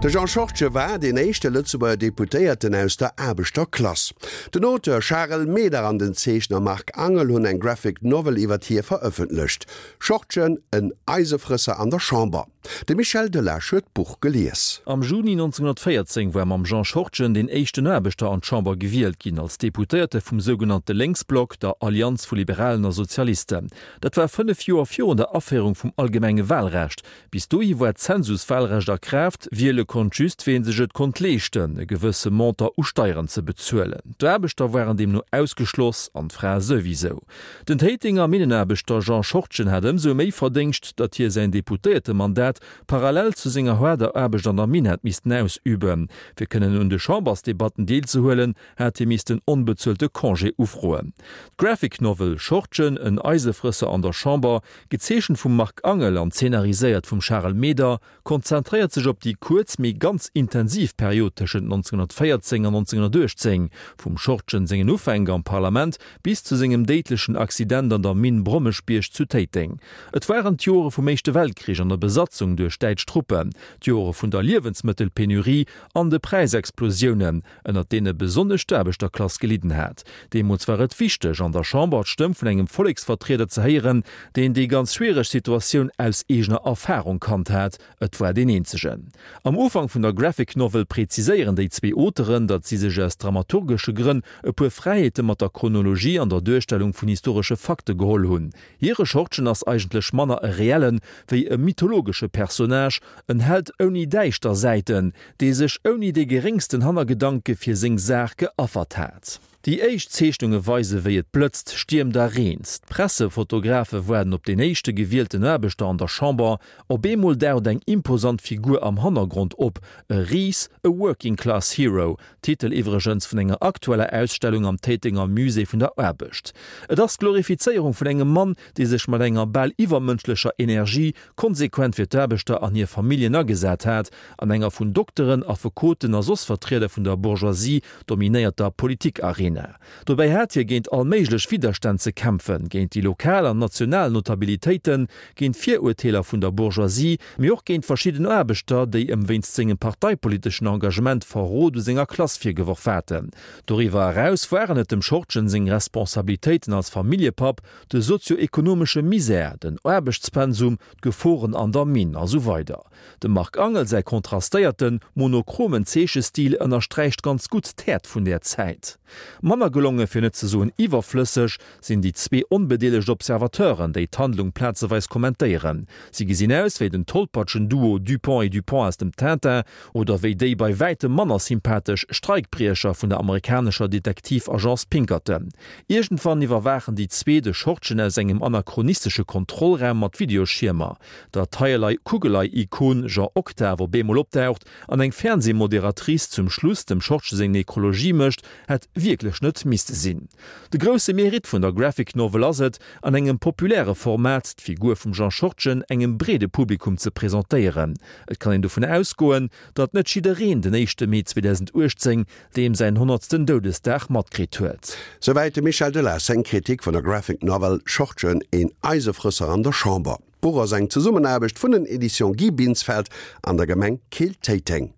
De Jean Schortgen war deen éischte Lëtzebuerger Deputéierten aus der Aarbechterklass. Den Auteur Charel Meder an den Zeechner Marc Angel hunn eng Graphic Novel iwwert hie verëffentlecht. Schortgen, en Eisefrësser an der Chamber. De Michel Delage huet d'Buch gelies. Am Juni 1914 war mam Jean Schortgen deen éischten Aarbechter an d'Chamber gewielt ginn, als Deputéierte vum sougenannte Lénksblock, der Allianz vu Liberalen a Sozialisten. Dat war 5 Joer virun der Aféierung vum allgemenge Wahlrecht. Bis dohi war d'Zensuswahlrecht a Kraaft, wiele konnt just, ween sech et konnt leeschten, e gewësse Montant u Steieren ze bezuelen. D'Aarbechter waren deemno ausgeschloss, an d'Frae souwisou. Den Téitenger Minnenaarbechter Jean Schortgen hat ëmsou méi Verdéngscht, datt hie säin Deputéiertemandat parallel zu senger haarder Aarbecht an der Minn hat missten ausüben. Fir kënnen un de Chambersdebatten deelzehuelen, hat hie missten onbezuelte Congé ufroen. D'Graphic Novel Schortgen, en Eisefrësser an der Chamber, gezeechent vum Marc Angel an zeenariséiert vum Charel Meder, konzentréiert sech op déi kuerz, mee ganz intensiv Period tëschent 1914 an 1918, vum Schortgen sengen Ufänk am Parlament bis zu sengem déidlechen Accident an der Minn Brommeschbierg zu Téiteng. Et waren d'Jore vum Éischte Weltkrich an der Besatzung duerch däitsch Truppen, d'Jore vun der Liewensmëttelpenurie an de Präisexplosiounen, ënnert deene besonnesch d'Aarbechterklass gelidden hat. Deemools war et wichteg, an der Chamber d'Stëmm vun engem Volleksvertrieder ze héieren, deen déi ganz schwiereg Situatioun aus eegener Erfarung kannt hat. Et war deen eenzegen. Am Ufank vun der Graphic Novel preziséieren déi zwee Auteuren, datt si sech aus dramaturgesche Grënn e puer Fräiheete mat der Chronologie an der Duerstellung vun historesche Fakte geholl hunn. Hire Schortgen ass eigentlech manner e reellen, wéi e mythologesche Personnage, en Held ouni däischter Säiten, dee sech ouni dee geréngsten Hannergedanke fir seng Saach geaffert hat. Déi éischt Zeechnunge weise wéi et blëtzt, stiermt a reent. D'Pressefotografe waarden op deen éischte gewielten Aarbechter an der Chamber. Op eemol daucht eng imposant Figur am Hannergrond op, e Ris, e Working Class Hero, Titel iwwregens vun enger aktueller Ausstellung am Téitenger Musée vun der Aarbecht. Et ass d'Glorifizéierung vun engem Mann, dee sech mat enger bal iwwermënschlecher Energie konsequent fir d'Aarbechter an hir Familljen agesat hat, an enger vun Dokteren, Affekoten a soss Vertrieder vun der Bourgeoisie dominéierter Politikarena. Dobäi hat hie géint all méiglech Widderstänn ze kämpfen, géint déi lokal an national Notabilitéiten, géint d'Virurteeler vun der Bourgeoisie, mee och géint verschidden Aarbechter, déi ëm wéinst sengem parteipoliteschen Engagement Verrot u senger Klass virgeworf haten. Doriwwer eraus waren et dem Schortgen seng Responsabilitéiten als Familljepapp, de sozio-ekonomesche Misär, den Aarbechtspensum, d'Geforen an der Minn a sou weider. Dem Marc Angel säi kontrastéierten, monochromen Zeechestil ënnersträicht ganz gutt d'Häert vun där Zäit. Manner gelonge, fir net ze soen iwwerflësseg, sinn déi zwee onbedeelegt Observateuren, déi d'Handlung plazeweis kommentéieren. Si gesinn aus wéi den tollpatschen Duo Dupont et Dupont aus dem Tintin oder wéi déi bei wäitem manner sympathesch Streikbriecher vun der amerikanescher Detektivagence Pinkerton. Iergendwann iwwerwaachen déi zwee de Schortgen aus engem anachronistesche Kontrollraum mat Videoschiermer. Datt d'Heierlei Kugelei-Ikon Jean Octave op eemol opdaucht an eng Fernsehmoderatrice zum Schluss dem Schortgen seng Nekrologie mécht, hätt wierklech net misste sinn. De grousse Mérite vun der Graphic Novel ass et, an engem populäre Format d'Figur vum Jean Schortgen engem breede Publikum ze presentéieren. Et kann een dovun ausgoen, datt net jiddereen den éischte Mee 2018, deem säin honnertsten Doudesdag, matkritt huet. Souwäit dem Michel Delage seng Kritik vun der Graphic Novel Schortgen, een Eisefrësser an der Chamber. D'Buch ass eng Zesummenaarbecht vun den Editions Guy Binsfeld an der Gemeng Keel-Téiteng.